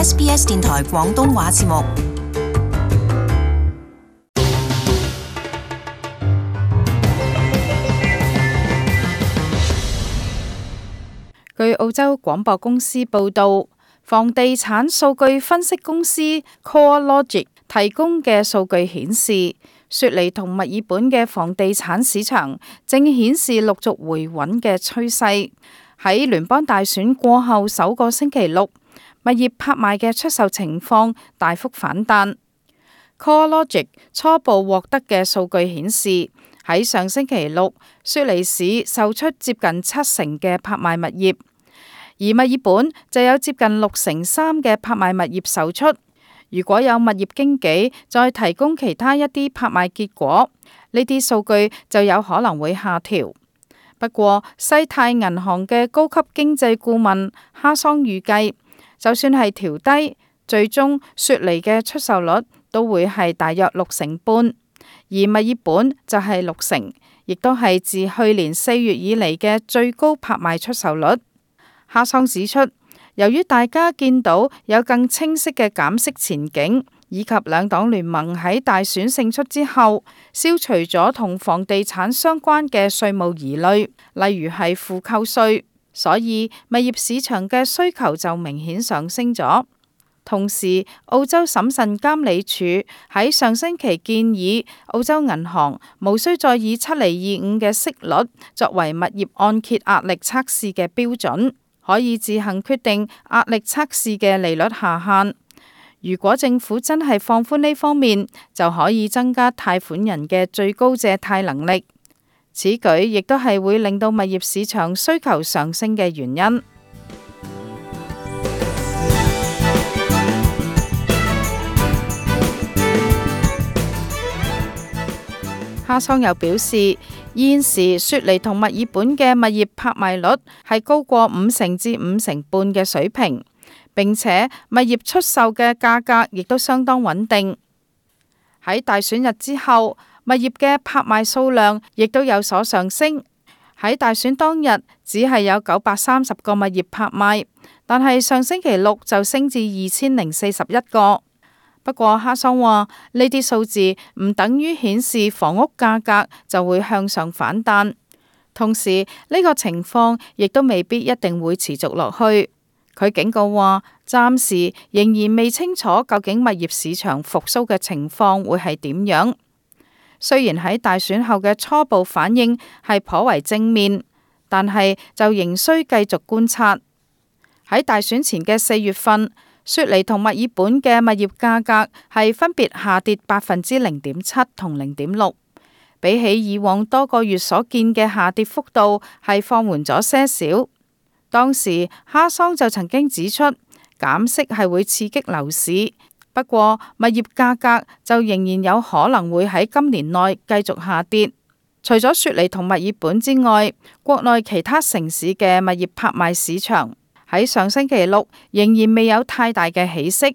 SBS 電台廣東話節目。據澳洲廣播公司報導，房地產數據分析公司 CoreLogic 提供嘅數據顯示，雪梨同墨爾本嘅房地產市場正顯示陸續回穩嘅趨勢。喺聯邦大選過後首個星期六，物業拍賣嘅出售情況大幅反彈。CoreLogic 初步獲得嘅數據顯示，喺上星期六，雪梨市售出接近70%嘅拍賣物業，而墨爾本就有接近63%嘅拍賣物業售出。如果有物業經紀再提供其他一啲拍賣結果，呢啲數據就有可能會下調。不過，西泰銀行嘅高級經濟顧問哈桑預計，就算係調低，最終雪梨嘅出售率都會係大約60%半，而墨爾本就係60%，亦都係自去年4月以嚟嘅最高拍賣出售率。哈桑指出，由於大家見到有更清晰嘅減息前景，以及兩黨聯盟喺大選勝出之後，消除咗同房地產相關嘅稅務疑慮，例如係負扣稅，所以物業市場嘅需求就明顯上升咗。同時，澳洲審慎監理處喺上星期建議澳洲銀行無需再以7.25厘嘅息率作為物業按揭壓力測試嘅標準，可以自行決定壓力測試嘅利率下限。如果政府真係放寬呢方面，就可以增加貸款人嘅最高借貸能力。此舉亦都係會令到物業市場需求上升嘅原因。哈桑又表示，現時雪梨同墨爾本嘅物業拍賣率係高過50%至50%半嘅水平。並且物業出售嘅價格亦都相當穩定。喺大選日之後，物業嘅拍賣數量亦都有所上升。喺大選當日，只係有930個物業拍賣，但係上星期六就升至2041個。不過哈桑話，呢啲數字唔等於顯示房屋價格就會向上反彈，同時呢個情況亦都未必一定會持續落去。佢警告話，暫時仍然未清楚究竟物業市場復甦嘅情況會係點樣。雖然喺大選後嘅初步反應係頗為正面，但係就仍需繼續觀察。喺大選前嘅4月份，雪梨同墨爾本嘅物業價格係分別下跌0.7%同0.6%，比起以往多個月所見嘅下跌幅度係放緩咗些少。當時哈桑就曾經指出，減息係會刺激樓市，不過物業價格就仍然有可能會喺今年內繼續下跌。除咗雪梨同墨爾本之外，國內其他城市嘅物業拍賣市場喺上星期六仍然未有太大嘅起色。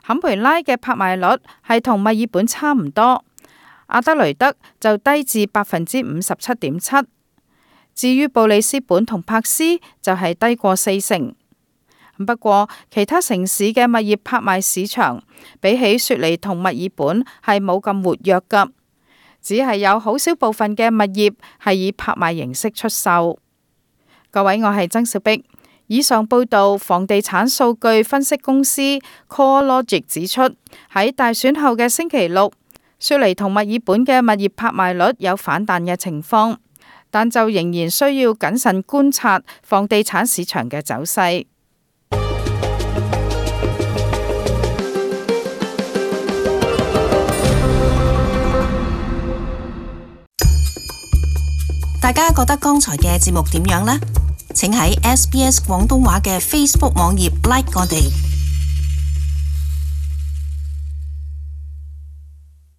坎培拉嘅拍賣率係同墨爾本差唔多，阿德雷德就低至57.7%。至於布里斯本同柏斯就係低過40%。不過其他城市嘅物業拍賣市場比起雪梨同墨爾本係冇咁活躍㗎，只係有好少部分嘅物業係以拍賣形式出售。各位，我係曾小碧。以上報道，房地產數據分析公司 CoreLogic 指出，喺大選後嘅星期六，雪梨同墨爾本嘅物業拍賣率有反彈嘅情況，但就仍然需要謹慎觀察房地產市場嘅走勢。大家覺得剛才嘅節目點樣呢？請喺SBS 廣東話嘅 Facebook 網頁 like 我哋。